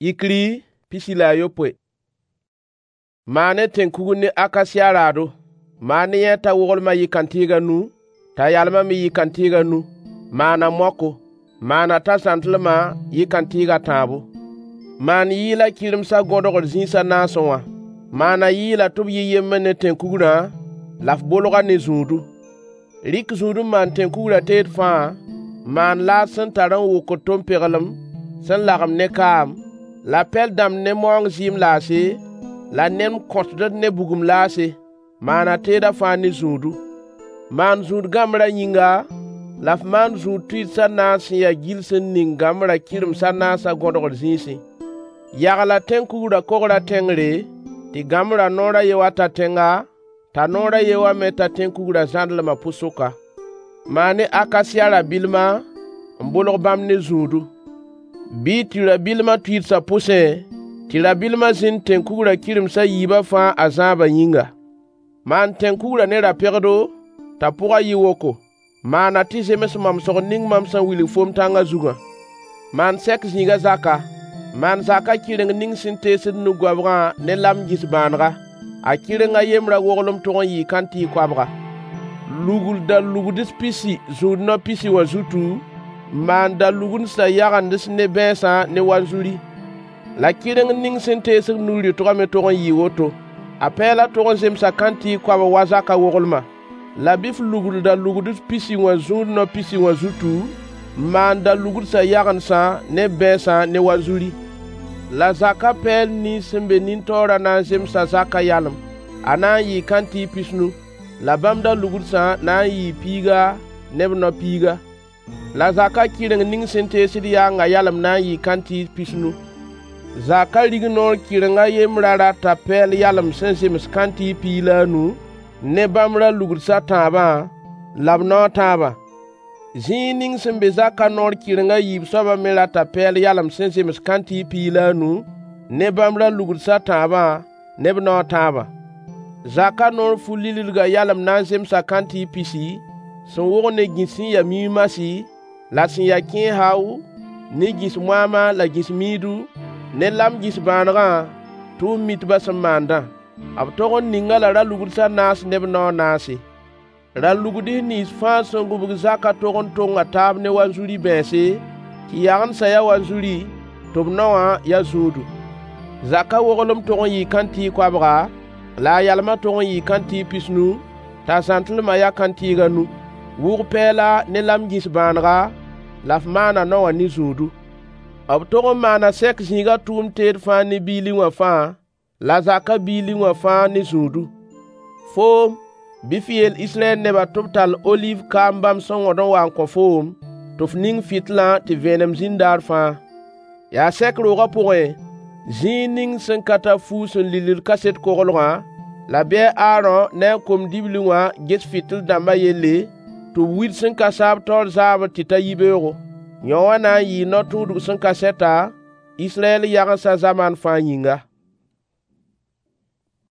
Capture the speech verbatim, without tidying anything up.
Yikri pisi la a yopoe. Maan-y tẽn-kugr ne akasiya raado. Maan-y yẽ t'a woglmã yɩ kãntɩɩg a nu, t'a yalmã me yɩ kãntɩɩg a nu. Maan-a maoko. Maan-a t'a zãntlmã yɩ kãntɩɩg a tãabo. Maan yɩɩlã kɩremsã gõdgr zĩis a naasẽ wã. Maan-a yɩɩlã tɩ b yɩ yembr ne tẽn-kugrã, la f bolg-a ne zũudu. Rɩk zũud n maan tẽn-kugrã teed fãa, n maan laad sẽn tar n wokd tom-peglem sẽn lagem ne kaam, la pɛl dãmb ne maoong zɩɩm laase, la nen kõtdr ne bugum laase. Maana teedã fãa ne zũudu. Maan zũud gãmbrã yĩnga, la f maan zũud tʋɩds a naas sẽn ya gill sẽn ning gãmbrã kɩrems a naasã gõdgr zĩisẽ. Yagla tẽn-kugrã kogrã tẽngre, tɩ gãmbrã noor a ye wã ta tẽnga, t'a noor a ye wã me ta tẽn-kugrã zãndlmã pʋ-sʋka. Maan-y akasiya ra-bɩlma n bolg bãmb ne zũudu. Bɩ y tũ ra-bɩlmã tʋɩdsã pʋsẽ, tɩ ra-bɩlmã zĩnd tẽn-kugrã kɩrems a yiibã fãa a zãabã yĩnga. Maan tẽn-kugrã ne ra-pegdo, t'a pʋgã yɩ woko. Maan-a tɩ zems mamsg ning mam sẽn wilg foom tãngã zugã. Maan sɛk zĩigã zaka. Maan zakã kɩreng ning sẽn teesd nug-goabgã ne lam gĩs-bãanega. A kɩreng a yembrã woglem tog n yɩɩ kãntɩɩg koabga. Lugl da-lugds pisi zũud nao pisi wã zutu, n maan da-lugsã yagends ne bãeensã ne wanzuri. La kɩreng ning sẽn teesd nu-rɩtgã me tog n yɩɩ woto. A pɛɛlã tog n zemsa kãntɩɩg koabg wa zakã woglmã. La bɩ f lugl da-lugds pisi wã zũud nao pisi wã zutu, n maan da-lugsã yagendsã ne bãeensã ne wanzuri. La zakã pɛɛl nins sẽn be nin-taoorã na n zemsa zakã yalem. A na n yɩɩ kãntɩɩg pisnu. La bãmb da-lugsã na n yɩɩ piiga ne b nao piiga. La zakã kɩreng ning sẽn teesd yaangã yalem na n yɩɩ kãntɩɩg pisnu. Zakã rignoor kɩreng a yembrã rata pɛɛl yalem sẽn zems kãntɩɩg piig la a nu, ne bãmb ra-lugsd a tãabã la b nao a tãabã. Zĩig ning sẽn be zakã noor kɩreng a yiib soabã me rata pɛɛl yalem sẽn zems kãntɩɩg piig la a nu, ne bãmb ra-lugsd a tãabã ne b nao a tãabã. Zakã noor fu-lillgã yalem na n zemsa kãntɩɩg pisi, sẽn wog ne gĩs sẽn ya miy-masi, la sẽn ya kẽes hao, ne gĩs moaamã la gĩs miidu, ne lam gĩs-bãanegã, tʋʋm-mitbã sẽn maandã. B tog n ning-a la ra-lugsd a naas ne b nao a naase. Ra-lugsd nins fãa sẽn gũbg zakã tog n tonga taab ne wanzuri bãense, tɩ yagendsã ya wanzuri, tɩ b naowã ya zũudu. Zakã woglem tog n yɩɩ kãntɩɩg koabga, la a yalmã tog n yɩɩ kãntɩɩg pisnu, t'a zãntlmã ya kãntɩɩg a nu. Wʋg pɛɛla ne lam gĩs-bãanega, la f maan a nao wã ne zũudu. B tog n maana sɛk zĩigã tʋʋm teed fãa ne biili wã fãa, la zakã biili wã fãa ne zũudu. Foom, bɩ f yeel Israyɛl nebã tɩ b tall oliiv kaam bãmb sẽn wõd n wa n kõ foom, tɩ f ning fɩtlã tɩ vẽenem zĩnd daar fãa. Yaa sɛk roogã pʋgẽ, zĩig ning sẽn ka tar fuug sẽn lillgd kaset koglgã, la bɩ a Aarõ ne a kom-dibli wã ges fɩtɩl-dãmbã yelle, tɩ b wil sẽn ka saab taoor zaabr tɩ ta yibeoogo. Yão wã na n yɩɩ no-tũudg sẽn ka sɛta, Israyɛl yagensã zamaan fãa yĩnga.